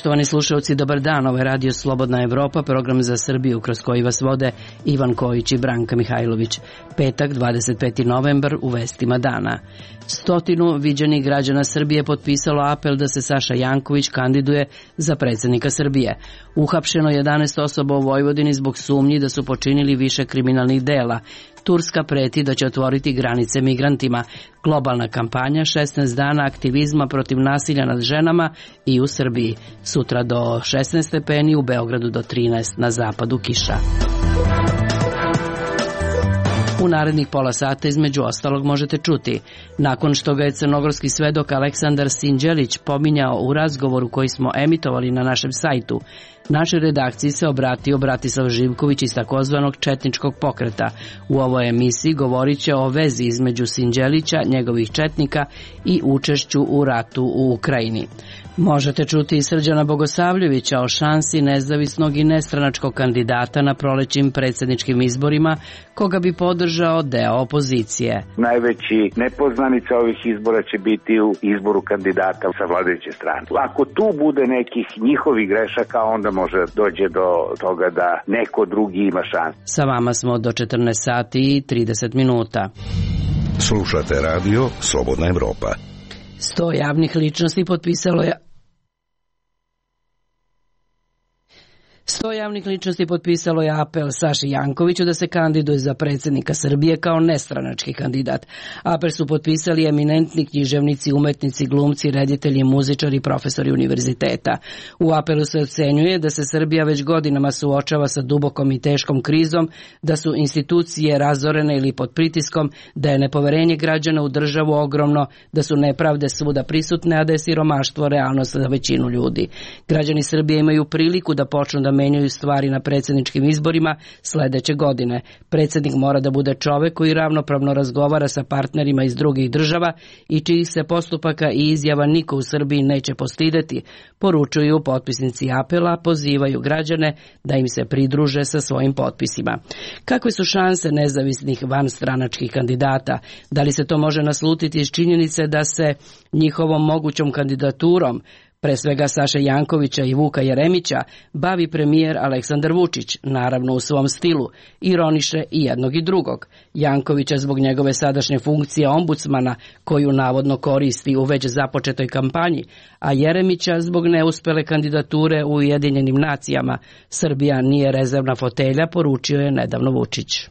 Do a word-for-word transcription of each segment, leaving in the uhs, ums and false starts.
Poštovani slušalci, dobar dan. Ovo je Radio Slobodna Evropa, program za Srbiju kroz koji vas vode Ivan Kojić i Branka Mihajlović. Petak, dvadeset peti novembar, u vestima dana. Stotinu viđenih građana Srbije potpisalo apel da se Saša Janković kandiduje za predsjednika Srbije. Uhapšeno jedanaest osoba u Vojvodini zbog sumnji da su počinili više kriminalnih dela. Turska preti da će otvoriti granice migrantima. Globalna kampanja šesnaest dana aktivizma protiv nasilja nad ženama i u Srbiji. Sutra do šesnaest stepeni, u Beogradu do trinaest, na zapadu kiša. U narednih pola sata između ostalog možete čuti. Nakon što ga je crnogorski svedok Aleksandar Sinđelić pominjao u razgovoru koji smo emitovali na našem sajtu, našoj redakciji se obratio Bratislav Živković iz takozvanog četničkog pokreta. U ovoj emisiji govorit će o vezi između Sinđelića, njegovih četnika i učešću u ratu u Ukrajini. Možete čuti i Srđana Bogosavljevića o šansi nezavisnog i nestranačkog kandidata na prolećim predsjedničkim izborima, koga bi podržao deo opozicije. Najveći nepoznanica ovih izbora će biti u izboru kandidata sa vladajuće strane. Ako tu bude nekih njihovih grešaka, onda može dođe do toga da neko drugi ima šansu. Sa vama smo do četrnaest sati i trideset minuta. Slušate radio Slobodna Evropa. Sto javnih ličnosti potpisalo je Sto javnih ličnosti potpisalo je apel Saši Jankoviću da se kandiduje za predsjednika Srbije kao nestranački kandidat. Apel su potpisali eminentni književnici, umetnici, glumci, reditelji, muzičari i profesori univerziteta. U apelu se ocenjuje da se Srbija već godinama suočava sa dubokom i teškom krizom, da su institucije razorene ili pod pritiskom, da je nepoverenje građana u državu ogromno, da su nepravde svuda prisutne, a da je siromaštvo realnost za većinu ljudi. Građani Srbije imaju priliku da počnu da menjaju stvari na predsjedničkim izborima sljedeće godine. Predsjednik mora da bude čovjek koji ravnopravno razgovara sa partnerima iz drugih država i čijih se postupaka i izjava niko u Srbiji neće postideti, poručuju potpisnici apela, pozivaju građane da im se pridruže sa svojim potpisima. Kakve su šanse nezavisnih vanstranačkih kandidata? Da li se to može naslutiti iz činjenice da se njihovom mogućom kandidaturom, pre svega Saše Jankovića i Vuka Jeremića, bavi premijer Aleksandar Vučić, naravno u svom stilu, ironiše i jednog i drugog. Jankovića zbog njegove sadašnje funkcije ombudsmana, koju navodno koristi u već započetoj kampanji, a Jeremića zbog neuspele kandidature u Ujedinjenim nacijama. Srbija nije rezervna fotelja, poručio je nedavno Vučić.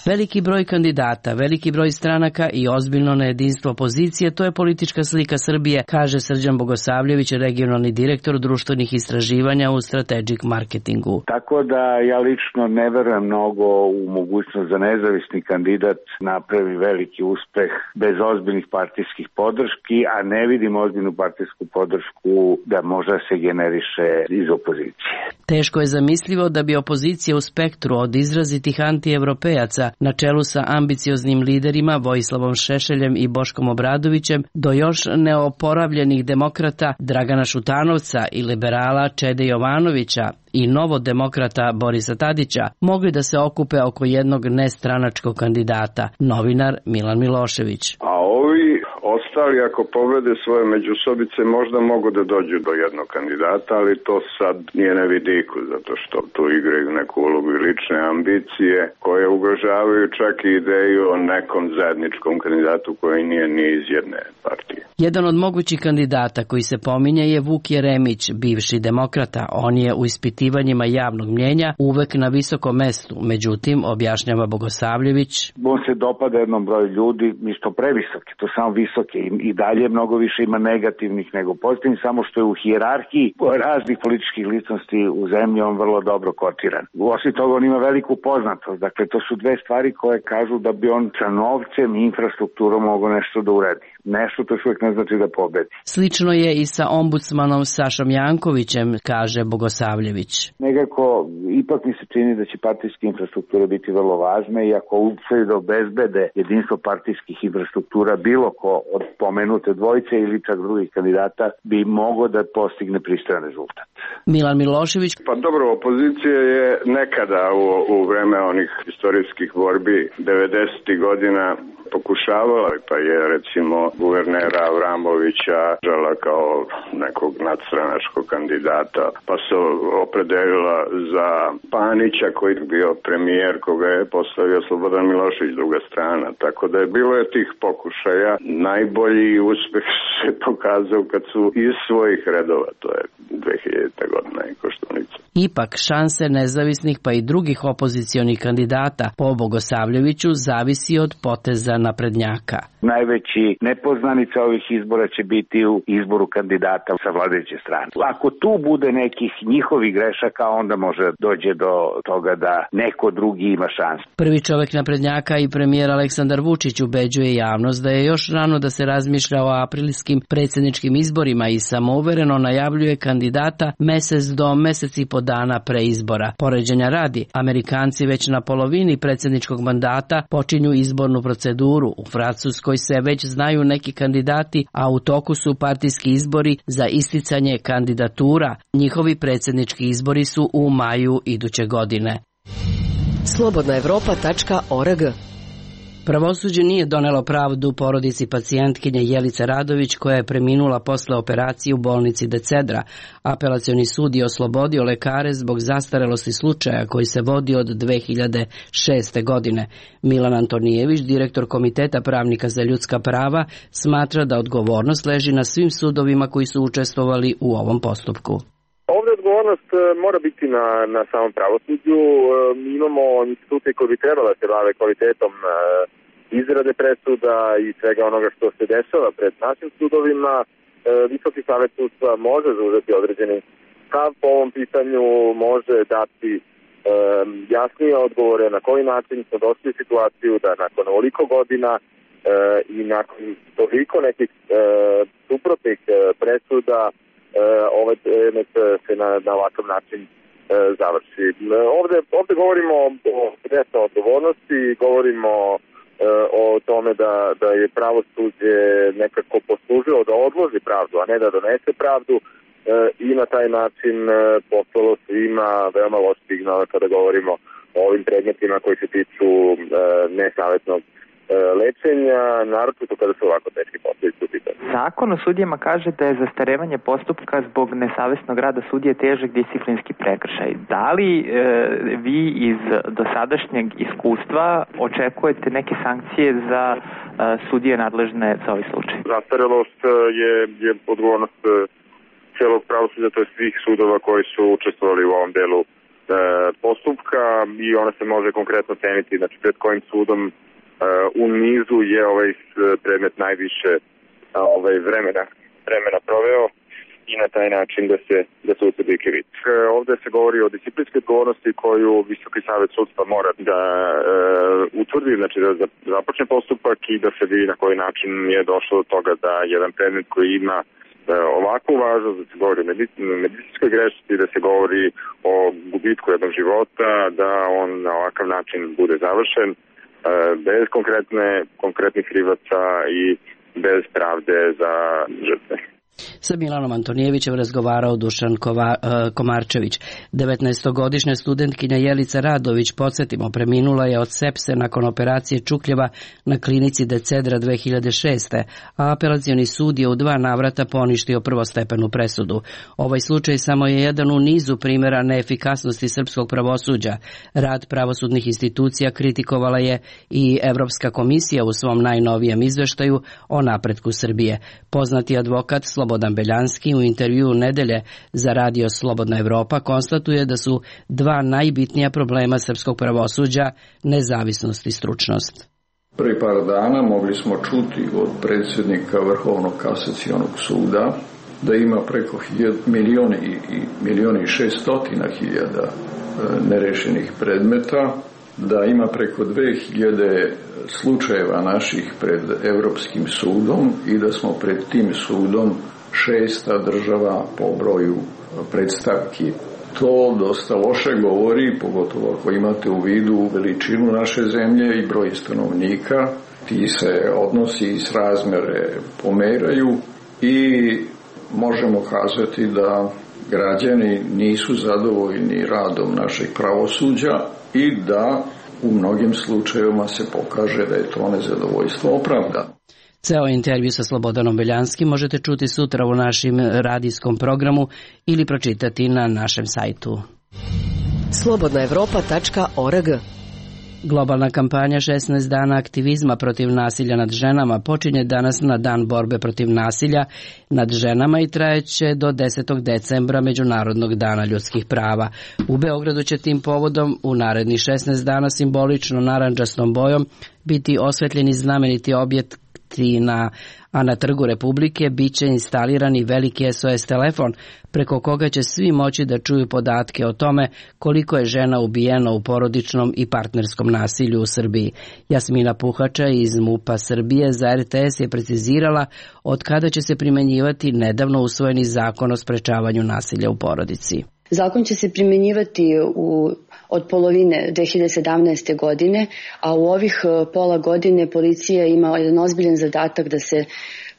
Veliki broj kandidata, veliki broj stranaka i ozbiljno nejedinstvo opozicije, to je politička slika Srbije, kaže Srđan Bogosavljević, regionalni direktor društvenih istraživanja u Strategic Marketingu. Tako da ja lično ne verujem mnogo u mogućnost za nezavisni kandidat napravi veliki uspeh bez ozbiljnih partijskih podrški, a ne vidim ozbiljnu partijsku podršku da možda se generiše iz opozicije. Teško je zamislivo da bi opozicija u spektru od izrazitih antievropejaca na čelu sa ambicioznim liderima Vojislavom Šešeljem i Boškom Obradovićem do još neoporavljenih demokrata Dragana Šutanovca i liberala Čede Jovanovića i novodemokrata Borisa Tadića mogli da se okupe oko jednog nestranačkog kandidata, novinar Milan Milošević. A ovi ostali, ako pobede svoje međusobice, možda mogu da dođu do jednog kandidata, ali to sad nije na vidiku, zato što tu igraju neku ulogu i lične ambicije koje ugrožavaju čak i ideju o nekom zajedničkom kandidatu koji nije ni iz jedne partije. Jedan od mogućih kandidata koji se pominje je Vuk Jeremić, bivši demokrata. On je u ispitivanjima javnog mnjenja uvek na visokom mestu, međutim, objašnjava Bogosavljević. On se dopada jednom broju ljudi, isto previsoki, to samo visoke i dalje mnogo više ima negativnih nego pozitivnih, samo što je u hijerarhiji raznih političkih ličnosti u zemlji on vrlo dobro kotiran. Osim toga on ima veliku poznatost, dakle to su dve stvari koje kažu da bi on sa novcem i infrastrukturom mogao nešto da uredi. Nešto to još uvijek ne znači da pobedi. Slično je i sa ombudsmanom Sašom Jankovićem, kaže Bogosavljević. Nekako, ipak mi se čini da će partijska infrastruktura biti vrlo važna i ako uspiju da obezbede jedinstvo partijskih infrastruktura bilo ko od pomenute dvojice ili čak drugih kandidata bi mogao da postigne pristojan rezultat. Milan Milošević. Pa dobro, opozicija je nekada u, u vreme onih istorijskih borbi devedesetih godina pokušavala, pa je recimo guvernera Avramovića žala kao nekog nadstranačkog kandidata, pa se opredelila za Panića koji je bio premijer koga je postavio Slobodan Milošević, druga strana. Tako da je bilo je tih pokušaja. Najbolji uspeh se pokazao kad su iz svojih redova, to je dve hiljadite godine i Koštunica. Ipak šanse nezavisnih pa i drugih opozicionih kandidata po Bogosavljeviću zavisi od poteza naprednjaka. Najveći nepoznanica ovih izbora će biti u izboru kandidata sa vladajuće strane. Ako tu bude nekih njihovih grešaka, onda može dođe do toga da neko drugi ima šansu. Prvi čovek naprednjaka i premijer Aleksandar Vučić ubeđuje javnost da je još rano da se razmišlja o aprilskim predsjedničkim izborima i samouvereno najavljuje kandidata mesec do mesec i po dana pre izbora. Poređenja radi, Amerikanci već na polovini predsjedničkog mandata počinju izbornu proceduru. U Francuskoj se već znaju neki kandidati, a u toku su partijski izbori za isticanje kandidatura. Njihovi predsjednički izbori su u maju iduće godine. slobodna evropa tačka org. Pravosuđe nije donelo pravdu porodici pacijentkinje Jelice Radović koja je preminula posle operacije u bolnici Decedra. Apelacioni sud je oslobodio lekare zbog zastarelosti slučaja koji se vodi od dve hiljade šeste. godine. Milan Antonijević, direktor Komiteta pravnika za ljudska prava, smatra da odgovornost leži na svim sudovima koji su učestvovali u ovom postupku. Ovdje odgovornost mora biti na, na samom pravosuđu. Mi imamo institucije koje bi trebala se bave kvalitetom izrade presuda i svega onoga što se dešava pred našim sudovima. Visoki savet sudstva može zauzeti određeni stav po ovom pitanju, može dati jasnije odgovore na koji način smo došli u situaciju da nakon ovoliko godina i nakon toliko nekih suprotnih presuda ovaj predmet se na, na ovakav način e, završi. Ovde, ovde govorimo o direktnoj odgovornosti, govorimo e, o tome da, da je pravosuđe nekako poslužilo da odloži pravdu, a ne da donese pravdu e, i na taj način e, poslalo svima veoma loš signal kada govorimo o ovim predmetima koji se tiču e, nesavjetnog lečenja, naročito kada su ovako teški posljedice u pitanju. Zakon o sudijama kaže da je zastarevanje postupka zbog nesavesnog rada sudije težak disciplinski prekršaj. Da li e, vi iz dosadašnjeg iskustva očekujete neke sankcije za e, sudije nadležne za ovaj slučaj? Zastarelost je, je odgovornost celog pravosuđa, to je svih sudova koji su učestvovali u ovom delu e, postupka i ona se može konkretno ceniti, znači pred kojim sudom u nizu je ovaj predmet najviše ovaj vremena vremena proveo i na taj način da se da se utvrdi krivica. Ovdje se govori o disciplinskoj odgovornosti koju Visoki savet sudstva mora da e, utvrdi, znači da započne postupak i da se vidi na koji način je došlo do toga da jedan predmet koji ima e, ovakvu važnost, da se govori o medicinskoj grešci, da se govori o gubitku jednog života, da on na ovakav način bude završen bez konkretne, konkretnih krivaca i bez pravde za žrtve. Sa Milanom Antonijevićem razgovarao Dušan Kova, Komarčević. devetnaestogodišnja studentkinja Jelica Radović, podsjetimo, preminula je od sepse nakon operacije čukljeva na klinici Decedra dve hiljade šeste. a apelacioni sud je u dva navrata poništio prvostepenu presudu. Ovaj slučaj samo je jedan u nizu primjera neefikasnosti srpskog pravosuđa. Rad pravosudnih institucija kritikovala je i Evropska komisija u svom najnovijem izveštaju o napretku Srbije. Poznati advokat Slobodan Beljanski u intervjuu Nedelje za radio Slobodna Evropa konstatuje da su dva najbitnija problema srpskog pravosuđa nezavisnost i stručnost. Prvi par dana mogli smo čuti od predsjednika Vrhovnog kasacionog suda da ima preko milijoni i milijoni i šestotina hiljada nerešenih predmeta, da ima preko dve hiljade slučajeva naših pred Evropskim sudom i da smo pred tim sudom šesta država po broju predstavki. To dosta loše govori, pogotovo ako imate u vidu veličinu naše zemlje i broj stanovnika ti se odnosi i srazmere pomeraju i možemo kazati da građani nisu zadovoljni radom našeg pravosuđa i da u mnogim slučajevima se pokaže da je to nezadovoljstvo opravdano. Ceo intervju sa Slobodanom Beljanskim možete čuti sutra u našem radijskom programu ili pročitati na našem sajtu. slobodna evropa tačka org. Globalna kampanja šesnaest dana aktivizma protiv nasilja nad ženama počinje danas na dan borbe protiv nasilja nad ženama i trajeće do desetog decembra Međunarodnog dana ljudskih prava. U Beogradu će tim povodom u narednih šesnaest dana simbolično narandžastom bojom biti osvetljeni znameniti objekti na a na Trgu Republike bit će instalirani veliki S O S telefon preko koga će svi moći da čuju podatke o tome koliko je žena ubijeno u porodičnom i partnerskom nasilju u Srbiji. Jasmina Puhača iz MUP-a Srbije za R T S je precizirala od kada će se primenjivati nedavno usvojeni zakon o sprečavanju nasilja u porodici. Zakon će se primenjivati u, od polovine dve hiljade sedamnaeste. godine, a u ovih pola godine policija ima jedan ozbiljan zadatak da se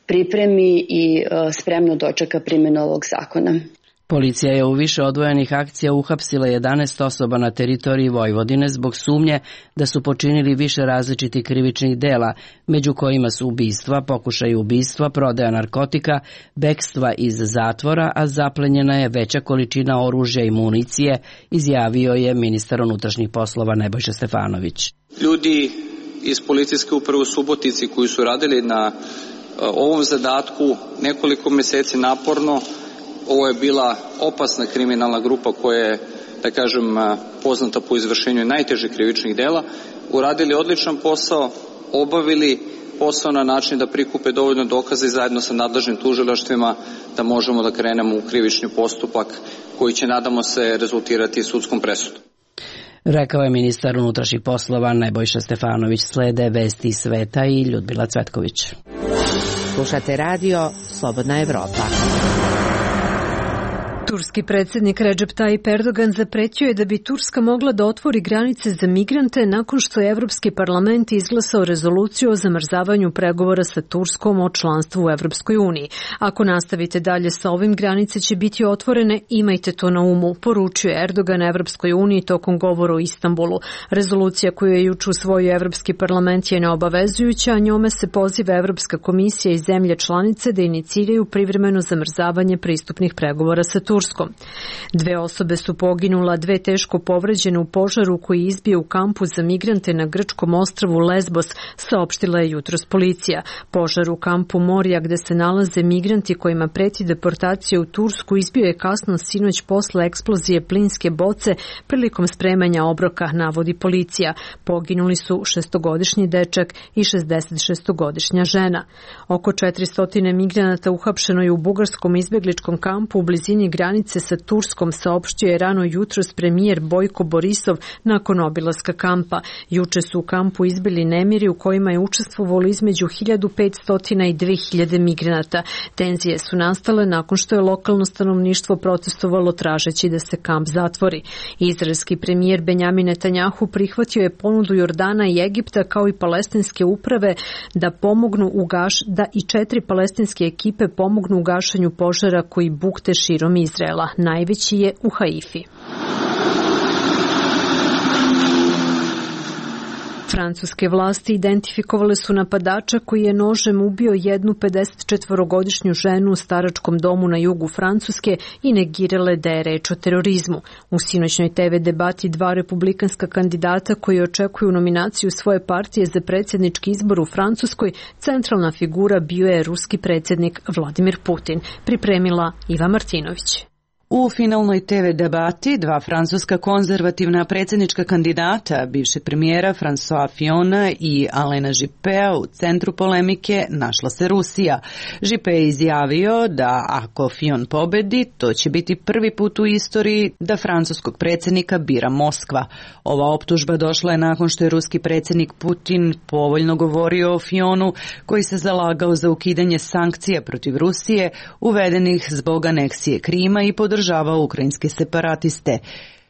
pripremi i spremno dočeka primjenu ovog zakona. Policija je u više odvojenih akcija uhapsila jedanaest osoba na teritoriji Vojvodine zbog sumnje da su počinili više različitih krivičnih dela, među kojima su ubistva, pokušaj ubistva, prodaja narkotika, bekstva iz zatvora, a zaplenjena je veća količina oružja i municije, izjavio je ministar unutrašnjih poslova Nebojša Stefanović. Ljudi iz policijske uprave u Subotici koji su radili na ovom zadatku nekoliko meseci naporno. Ovo je bila opasna kriminalna grupa koja je, da kažem, poznata po izvršenju najtežih krivičnih dela, uradili odličan posao, obavili posao na način da prikupe dovoljno dokaza i zajedno sa nadležnim tužilaštvima da možemo da krenemo u krivični postupak koji će, nadamo se, rezultirati sudskom presudom. Rekao je ministar unutrašnjih poslova Nebojša Stefanović. Slede vesti iz sveta i Ljudmila Cvetković. Slušate radio Slobodna Evropa. Turski predsjednik Recep Tayyip Erdogan zapretio je da bi Turska mogla da otvori granice za migrante nakon što je Evropski parlament izglasao rezoluciju o zamrzavanju pregovora sa Turskom o članstvu u Evropskoj uniji. Ako nastavite dalje sa ovim, granice će biti otvorene, imajte to na umu, poručio je Erdogan Evropskoj uniji tokom govora u Istanbulu. Rezolucija koju je juče usvojio Evropski parlament je neobavezujuća, a njome se poziva Evropska komisija i zemlje članice da iniciraju privremeno zamrzavanje pristupnih pregovora sa Turskom. Dve osobe su poginula, dve teško povređene u požaru koji je izbio u kampu za migrante na grčkom ostrvu Lesbos, saopštila je jutros policija. Požar u kampu Morija gde se nalaze migranti kojima preti deportacija u Tursku izbio je kasno sinoć posle eksplozije plinske boce prilikom spremanja obroka, navodi policija. Poginuli su šestogodišnji dečak i šezdesetšestogodišnja žena. Oko četiristo migranata uhapšeno je u bugarskom izbegličkom kampu u blizini granice sa Turskom, saopštio je rano jutros premijer Bojko Borisov nakon obilaska kampa. Juče su u kampu izbili nemiri u kojima je učestvovalo između hiljadu petsto i dve hiljade migranata. Tenzije su nastale nakon što je lokalno stanovništvo protestovalo tražeći da se kamp zatvori. Izraelski premijer Benjamin Netanjahu prihvatio je ponudu Jordana i Egipta kao i palestinske uprave da pomognu u gaš, da i četiri palestinske ekipe pomognu u gašenju požara koji bukte širom Izraela. Najveći je u Haifi. Francuske vlasti identifikovale su napadača koji je nožem ubio jednu pedesetčetvorogodišnju ženu u staračkom domu na jugu Francuske i negirale da je reč o terorizmu. U sinoćnoj T V debati dva republikanska kandidata koji očekuju nominaciju svoje partije za predsjednički izbor u Francuskoj, centralna figura bio je ruski predsjednik Vladimir Putin, pripremila Iva Martinović. U finalnoj T V debati dva francuska konzervativna predsjednička kandidata, bivšeg premijera François Fillona i Alena Juppea, u centru polemike našla se Rusija. Juppé je izjavio da ako Fillon pobedi, to će biti prvi put u istoriji da francuskog predsjednika bira Moskva. Ova optužba došla je nakon što je ruski predsjednik Putin povoljno govorio o Fillonu, koji se zalagao za ukidanje sankcija protiv Rusije, uvedenih zbog aneksije Krima i podržavao ukrajinske separatiste.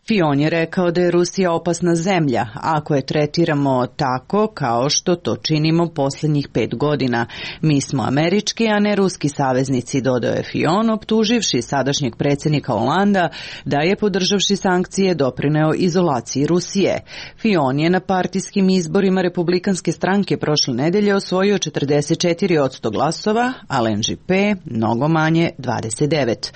Fion je rekao da je Rusija opasna zemlja, ako je tretiramo tako kao što to činimo posljednjih pet godina. Mi smo američki, a ne ruski saveznici, dodao je Fion, optuživši sadašnjeg predsjednika Holanda da je, podržavši sankcije, doprineo izolaciji Rusije. Fion je na partijskim izborima republikanske stranke prošle nedelje osvojio četrdeset četiri posto glasova, a L N J P mnogo manje dvadeset devet.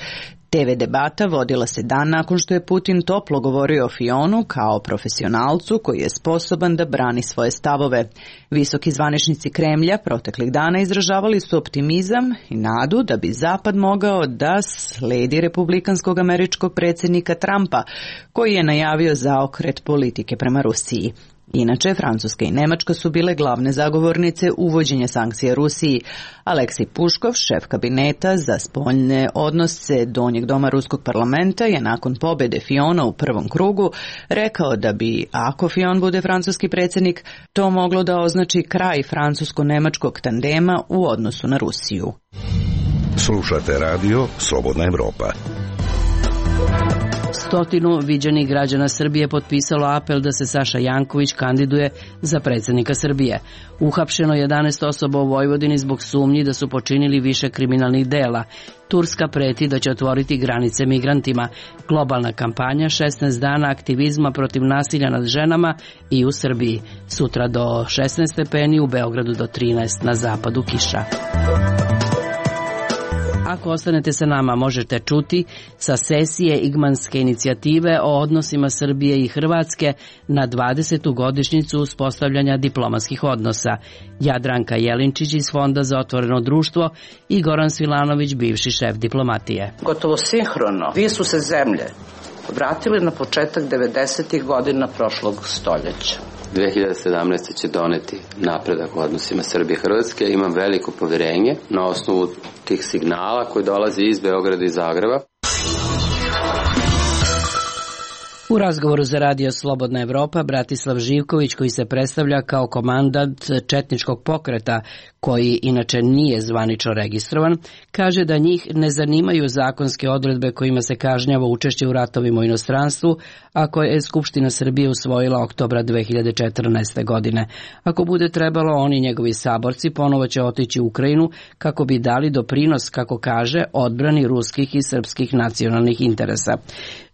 T V debata vodila se dan nakon što je Putin toplo govorio o Fionu kao profesionalcu koji je sposoban da brani svoje stavove. Visoki zvaničnici Kremlja proteklih dana izražavali su optimizam i nadu da bi Zapad mogao da sledi republikanskog američkog predsjednika Trumpa, koji je najavio zaokret politike prema Rusiji. Inače, Francuska i Nemačka su bile glavne zagovornice uvođenja sankcija Rusiji. Aleksij Puškov, šef kabineta za spoljne odnose Donjeg doma Ruskog parlamenta, je nakon pobjede Fiona u prvom krugu rekao da bi, ako Fion bude francuski predsjednik, to moglo da označi kraj francusko-nemačkog tandema u odnosu na Rusiju. Slušate radio Slobodna Evropa. Stotinu viđenih građana Srbije potpisalo apel da se Saša Janković kandiduje za predsjednika Srbije. Uhapšeno jedanaest osoba u Vojvodini zbog sumnji da su počinili više kriminalnih dela. Turska preti da će otvoriti granice migrantima. Globalna kampanja šesnaest dana aktivizma protiv nasilja nad ženama i u Srbiji. Sutra do šesnaest stepeni, u Beogradu do trinaest, na zapadu kiša. Ako ostanete sa nama, možete čuti sa sesije Igmanske inicijative o odnosima Srbije i Hrvatske na dvadesetu godišnjicu uspostavljanja diplomatskih odnosa. Jadranka Jelinčić iz Fonda za otvoreno društvo i Goran Svilanović, bivši šef diplomatije. Gotovo sinhrono, dvije su se zemlje vratili na početak devedesetih godina prošlog stoljeća. dve hiljade sedamnaeste. će doneti napredak u odnosima Srbije i Hrvatske. Imam veliko poverenje na osnovu tih signala koji dolaze iz Beograda i Zagreba. U razgovoru za radio Slobodna Evropa Bratislav Živković, koji se predstavlja kao komandant četničkog pokreta, koji inače nije zvanično registrovan, kaže da njih ne zanimaju zakonske odredbe kojima se kažnjava učešće u ratovima u inostranstvu, a koje je Skupština Srbije usvojila oktobra dve hiljade četrnaeste. godine. Ako bude trebalo, oni i njegovi saborci ponovo će otići u Ukrajinu kako bi dali doprinos, kako kaže, odbrani ruskih i srpskih nacionalnih interesa.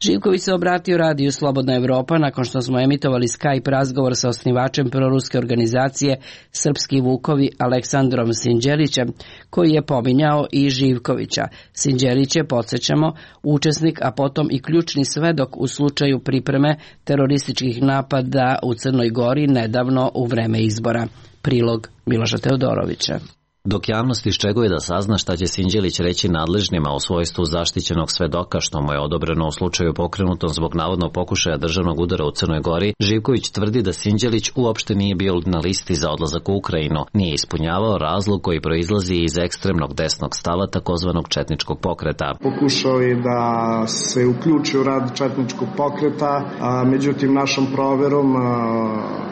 Živković se obratio radiju Slobodna Evropa nakon što smo emitovali Skype razgovor sa osnivačem proruske organizacije Srpski Vukovi Aleksandrom Sinđelićem, koji je pominjao i Živkovića. Sinđelić je, podsjećamo, učesnik, a potom i ključni svedok u slučaju pripreme terorističkih napada u Crnoj Gori nedavno u vreme izbora. Prilog Miloša Teodorovića. Dok javnost iščekuje da sazna šta će Sinđelić reći nadležnima u svojstvu zaštićenog svedoka što mu je odobreno u slučaju pokrenutom zbog navodnog pokušaja državnog udara u Crnoj Gori, Živković tvrdi da Sinđelić uopšte nije bio na listi za odlazak u Ukrajinu, nije ispunjavao razlog koji proizlazi iz ekstremnog desnog stava takozvanog četničkog pokreta. Pokušao je da se uključi u rad četničkog pokreta, a međutim našom proverom a,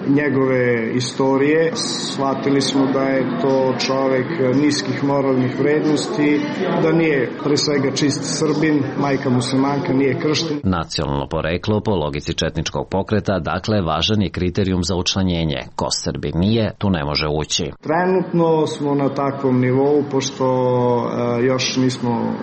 njegove istorije shvatili smo da je to čovek niskih moralnih vrednosti, da nije pre svega čist Srbin, majka muslimanka, nije kršten. Nacionalno poreklo po logici četničkog pokreta, dakle, važan je kriterijum za učlanjenje. Ko Srbin nije, tu ne može ući. Trenutno smo na takvom nivou, pošto uh, još nismo,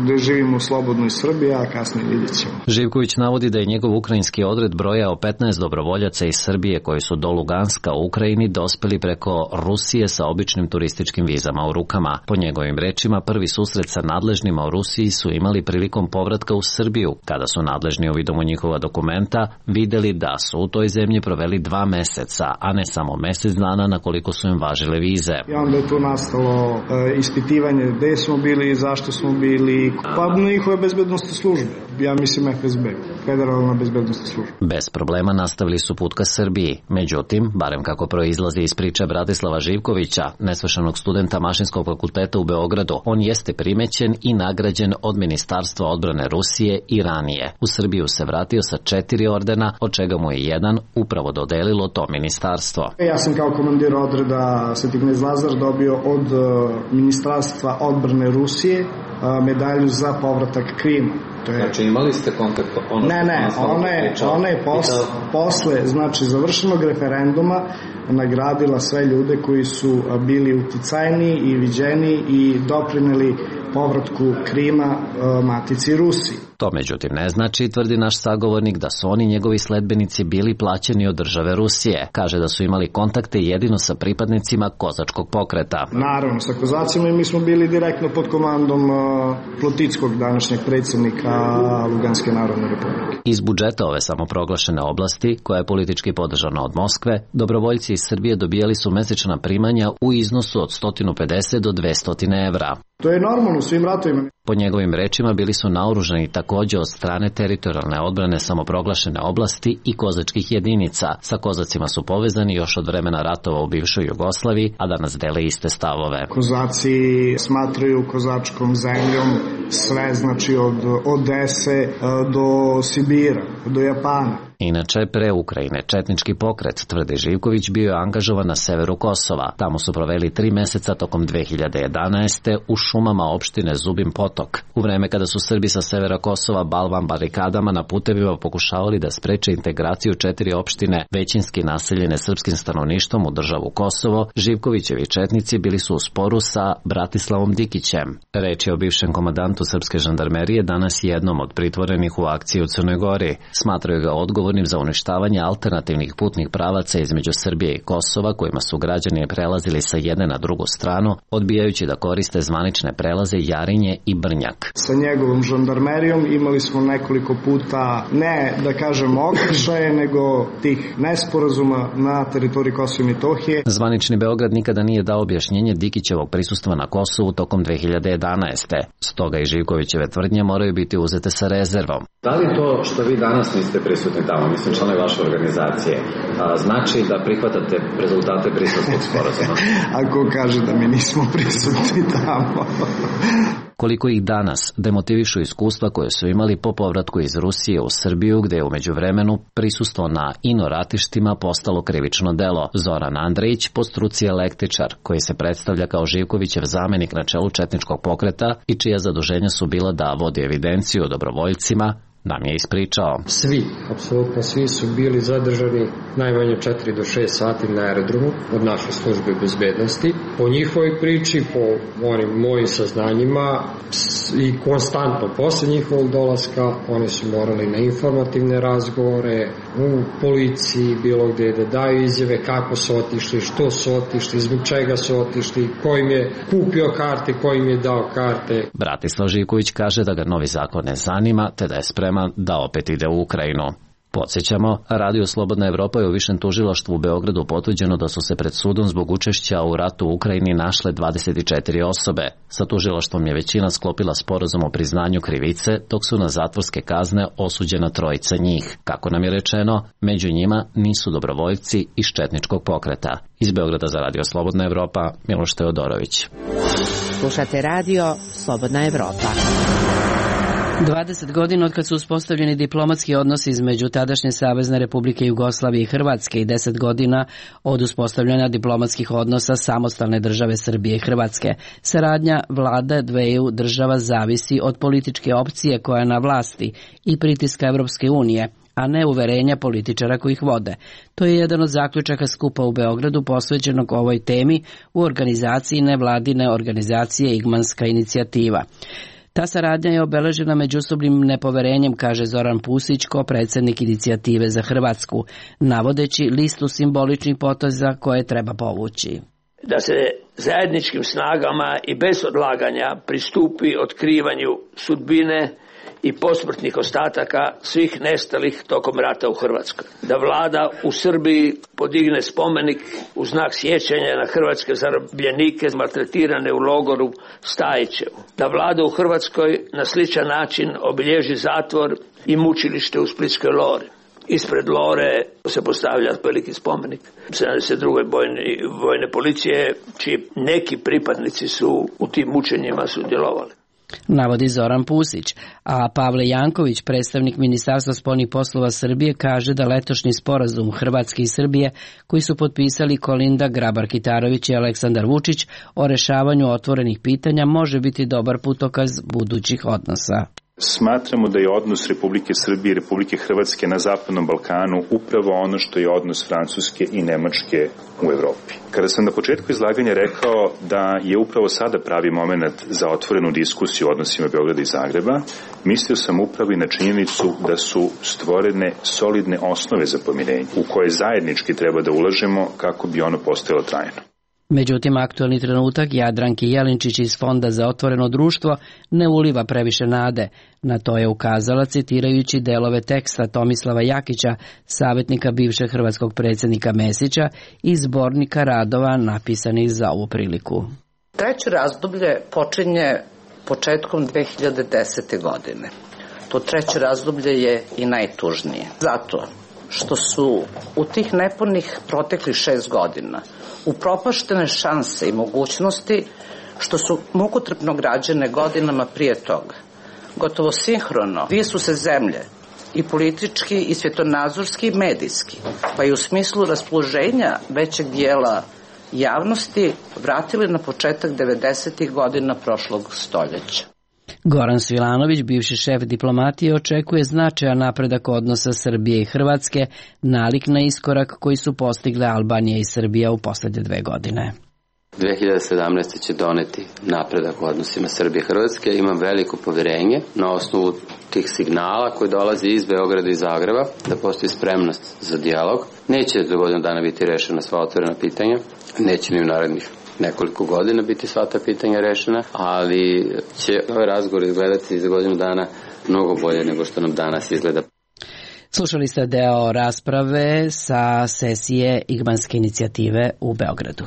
da živimo u slobodnoj Srbiji, a kasnije vidjet ćemo. Živković navodi da je njegov ukrajinski odred brojao petnaest dobrovoljaca iz Srbije koji su do Luganska u Ukrajini dospeli preko Rusije sa običnim turističkim vizama u rukama. Po njegovim rečima, prvi susret sa nadležnima u Rusiji su imali prilikom povratka u Srbiju, kada su nadležni uvidom u njihova dokumenta videli da su u toj zemlji proveli dva meseca, a ne samo mesec dana na koliko su im važile vize. I onda je tu nastalo e, ispitivanje gde smo bili i zašto smo bili, pa njihove bezbednostne službe. Ja mislim F S B, Federalna bezbednostna služba. Bez problema nastavili su put ka Srbiji. Međutim, barem kako proizlazi iz priče Bratislava Živkovića, nesvršenog studenta Mašinskog fakulteta u Beogradu, on jeste primećen i nagrađen od Ministarstva odbrane Rusije i ranije. U Srbiju se vratio sa četiri ordena, od čega mu je jedan upravo dodelilo to ministarstvo. Ja sam kao komandir odreda Sveti knez Lazar dobio od Ministarstva odbrane Rusije medalju za povratak Krima. To je... Znači imali ste kontakt? Ono ne, ne, ona je, ona je posle, posle, znači završenog referenduma nagradila sve ljude koji su bili uticajni i viđeni i doprineli povratku Krima matici Rusiji. To međutim ne znači, tvrdi naš sagovornik, da su oni njegovi sledbenici bili plaćeni od države Rusije. Kaže da su imali kontakte jedino sa pripadnicima kozačkog pokreta. Naravno, sa kozacima i mi smo bili direktno pod komandom Plotitskog, današnjeg predsjednika Luganske narodne republike. Iz budžeta ove samoproglašene oblasti, koja je politički podržana od Moskve, dobrovoljci iz Srbije dobijali su mesečna primanja u iznosu od sto pedeset do dvesta evra. To je normalno u svim ratovima. Po njegovim rečima bili su naoružani takođe od strane teritorijalne odbrane samoproglašene oblasti i kozačkih jedinica. Sa kozacima su povezani još od vremena ratova u bivšoj Jugoslaviji, a danas dele iste stavove. Kozaci smatraju kozačkom zemljom sve, znači od Odese do Sibira, do Japana. Inače, pre Ukrajine četnički pokret, tvrdi Živković, bio je angažovan na severu Kosova. Tamo su proveli tri meseca tokom dve hiljade jedanaeste. u šumama opštine Zubin Potok. U vreme kada su Srbi sa severa Kosova balvan barikadama na putevima pokušavali da spreče integraciju četiri opštine većinski naseljene srpskim stanovništvom u državu Kosovo, Živkovićevi četnici bili su u sporu sa Bratislavom Dikićem. Reč je o bivšem komandantu srpske žandarmerije, danas jednom od pritvorenih u akciji u Crnoj Gori. Smatraju ga odgovor za uništavanje alternativnih putnih pravaca između Srbije i Kosova, kojima su građani prelazili sa jedne na drugu stranu, odbijajući da koriste zvanične prelaze Jarinje i Brnjak. Sa njegovom žandarmerijom imali smo nekoliko puta, ne da kažem okršaje, nego tih nesporazuma na teritoriji Kosova i Metohije. Zvanični Beograd nikada nije dao objašnjenje Dikićevog prisustva na Kosovu tokom dve hiljade jedanaeste. Stoga i Živkovićeve tvrdnje moraju biti uzete sa rezervom. Da li to što vi danas niste prisutni tamo, mislim članovi vaše organizacije, a, znači da prihvatate rezultate Briselskog sporazuma? Ako kaže da mi nismo prisutni tamo. Koliko ih danas demotivišu iskustva koje su imali po povratku iz Rusije u Srbiju, gde je umeđu vremenu prisustvo na ino ratištima postalo krivično delo. Zoran Andrejić, po struci električar, koji se predstavlja kao Živkovićev zamenik na čelu četničkog pokreta i čija zaduženja su bila da vodi evidenciju o dobrovoljcima, nam je ispričao. Svi, apsolutno svi su bili zadržani najmanje četiri do šest sati na aerodromu od naše službe bezbednosti. Po njihovoj priči, po onim mojim saznanjima i konstantno posle njihovog dolaska oni su morali na informativne razgovore u policiji, bilo gde da daju izjave kako su otišli, što su otišli, zbog čega su otišli, ko im je kupio karte, ko im je dao karte. Bratislav Živković kaže da ga novi zakon ne zanima, te da je spreman da opet ide u Ukrajinu. Podsjećamo, Radio Slobodna Evropa je u Višem tužilaštvu u Beogradu potvrđeno da su se pred sudom zbog učešća u ratu u Ukrajini našle dvadeset četiri osobe. Sa tužilaštvom je većina sklopila sporazum o priznanju krivice, dok su na zatvorske kazne osuđena trojica njih. Kako nam je rečeno, među njima nisu dobrovoljci iz četničkog pokreta. Iz Beograda za Radio Slobodna Evropa, Miloš Teodorović. Slušate Radio Slobodna Evropa. dvadeset godina od kad su uspostavljeni diplomatski odnosi između tadašnje Savezne Republike Jugoslavije i Hrvatske i deset godina od uspostavljanja diplomatskih odnosa samostalne države Srbije i Hrvatske. Saradnja vlade dveju država zavisi od političke opcije koja je na vlasti i pritiska Evropske unije, a ne uverenja političara koji ih vode. To je jedan od zaključaka skupa u Beogradu posvećenog ovoj temi u organizaciji nevladine organizacije Igmanska inicijativa. Ta saradnja je obeležena međusobnim nepoverenjem, kaže Zoran Pusić, ko predsjednik inicijative za Hrvatsku, navodeći listu simboličnih poteza koje treba povući. Da se zajedničkim snagama i bez odlaganja pristupi otkrivanju sudbine i posmrtnih ostataka svih nestalih tokom rata u Hrvatskoj. Da vlada u Srbiji podigne spomenik u znak sjećanja na hrvatske zarobljenike maltretirane u logoru Stajićevu. Da vlada u Hrvatskoj na sličan način obilježi zatvor i mučilište u Splitskoj Lori. Ispred Lore se postavlja veliki spomenik sedamdeset druge Bojne, vojne policije, čiji neki pripadnici su u tim mučenjima sudjelovali. navodi Zoran Pusić, a Pavle Janković, predstavnik Ministarstva spoljnih poslova Srbije, kaže da letošnji sporazum Hrvatske i Srbije koji su potpisali Kolinda Grabar-Kitarović i Aleksandar Vučić o rešavanju otvorenih pitanja može biti dobar putokaz budućih odnosa. Smatramo da je odnos Republike Srbije i Republike Hrvatske na Zapadnom Balkanu upravo ono što je odnos Francuske i Nemačke u Evropi. Kada sam na početku izlaganja rekao da je upravo sada pravi moment za otvorenu diskusiju o odnosima Beograda i Zagreba, mislio sam upravo i na činjenicu da su stvorene solidne osnove za pomirenje u koje zajednički treba da ulažemo kako bi ono postojalo trajno. Međutim, aktualni trenutak Jadranki Jelinčić iz Fonda za otvoreno društvo ne uliva previše nade. Na to je ukazala citirajući delove teksta Tomislava Jakića, savjetnika bivšeg hrvatskog predsjednika Mesića i zbornika radova napisanih za ovu priliku. Treće razdoblje počinje početkom dve hiljade desete. godine. To treće razdoblje je i najtužnije. Zato što su u tih nepunih proteklih šest godina upropaštene šanse i mogućnosti što su mukotrpno građene godinama prije toga. Gotovo sinhrono dvije su se zemlje, i politički i svjetonazorski i medijski, pa i u smislu raspoloženja većeg dijela javnosti vratili na početak devedesetih godina prošlog stoljeća. Goran Svilanović, bivši šef diplomatije, očekuje značajan napredak odnosa Srbije i Hrvatske, nalik na iskorak koji su postigle Albanija i Srbija u posljednje dve godine. dve hiljade sedamnaeste. će doneti napredak u odnosima Srbije i Hrvatske. Imam veliko povjerenje na osnovu tih signala koji dolazi iz Beograda i Zagreba da postoji spremnost za dijalog. Neće do godinu dana biti rešena sva otvorena pitanja, neće ni u narednih nekoliko godina biti sva ta pitanja rešena, ali će ovaj razgovor izgledati za godinu dana mnogo bolje nego što nam danas izgleda. Slušali ste deo rasprave sa sesije Igmanske inicijative u Beogradu.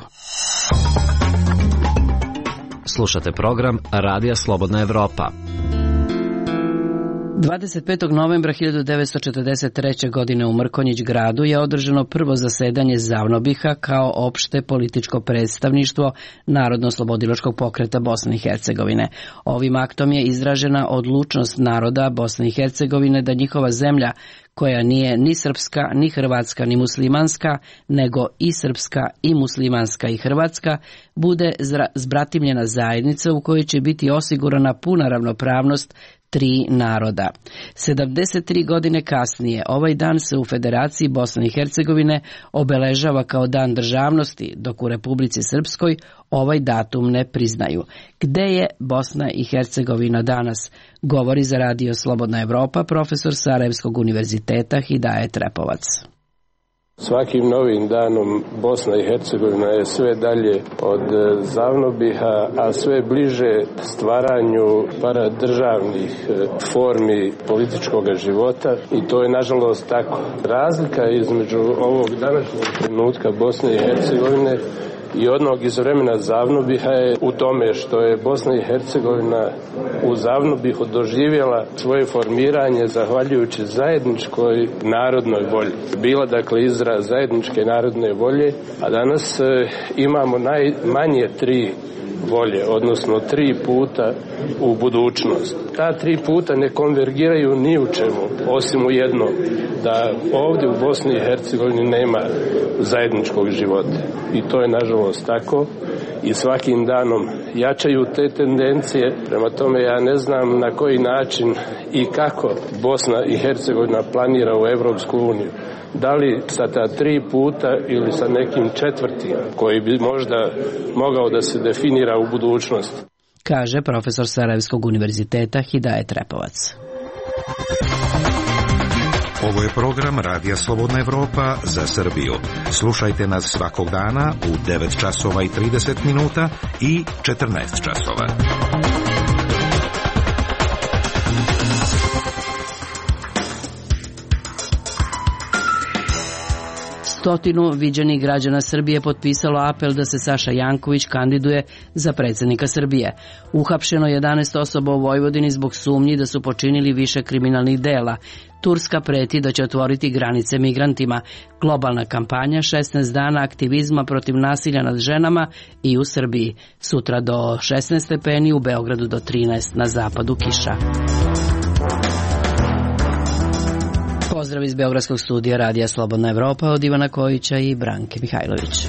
Slušate program Radija Slobodna Evropa. dvadeset petog novembra hiljadu devetsto četrdeset treće. godine u Mrkonjić gradu je održano prvo zasedanje Zavnobiha kao opšte političko predstavništvo Narodno-oslobodilačkog pokreta Bosne i Hercegovine. Ovim aktom je izražena odlučnost naroda Bosne i Hercegovine da njihova zemlja, koja nije ni srpska, ni hrvatska, ni muslimanska, nego i srpska, i muslimanska, i hrvatska, bude zbratimljena zajednica u kojoj će biti osigurana puna ravnopravnost tri naroda. sedamdeset tri godine kasnije ovaj dan se u Federaciji Bosne i Hercegovine obeležava kao dan državnosti, dok u Republici Srpskoj ovaj datum ne priznaju. Gde je Bosna i Hercegovina danas? Govori za Radio Slobodna Evropa profesor Sarajevskog univerziteta Hidajet Repovac. Svakim novim danom Bosna i Hercegovina je sve dalje od Zavnobiha, a sve bliže stvaranju paradržavnih formi političkog života, i to je nažalost tako. Razlika između ovog današnjeg trenutka Bosne i Hercegovine i onog iz vremena Zavnobiha je u tome što je Bosna i Hercegovina u Zavnobihu doživjela svoje formiranje zahvaljujući zajedničkoj narodnoj volji. Bila dakle izraz zajedničke narodne volje, a danas e, imamo najmanje tri volje, odnosno tri puta u budućnost. Ta tri puta ne konvergiraju ni u čemu, osim u jedno, da ovdje u Bosni i Hercegovini nema zajedničkog života. I to je nažalost tako i svakim danom jačaju te tendencije. Prema tome ja ne znam na koji način i kako Bosna i Hercegovina planira u Evropsku uniju. Da li sa ta tri puta ili sa nekim četvrtim koji bi možda mogao da se definira u budućnosti. Kaže profesor Sarajevskog univerziteta Hidajet Repovac. Ovo je program Radija Slobodna Evropa za Srbiju. Slušajte nas svakog dana u devet časova i trideset minuta i četrnaest časova. Stotinu viđenih građana Srbije potpisalo apel da se Saša Janković kandiduje za predsjednika Srbije. Uhapšeno jedanaest osoba u Vojvodini zbog sumnji da su počinili više kriminalnih dela. Turska preti da će otvoriti granice migrantima. Globalna kampanja šesnaest dana aktivizma protiv nasilja nad ženama i u Srbiji. Sutra do šesnaest stepeni, u Beogradu do trinaest, na zapadu kiša. Pozdrav iz Beogradskog studija Radija Slobodna Evropa od Ivana Kojića i Branke Mihajlović.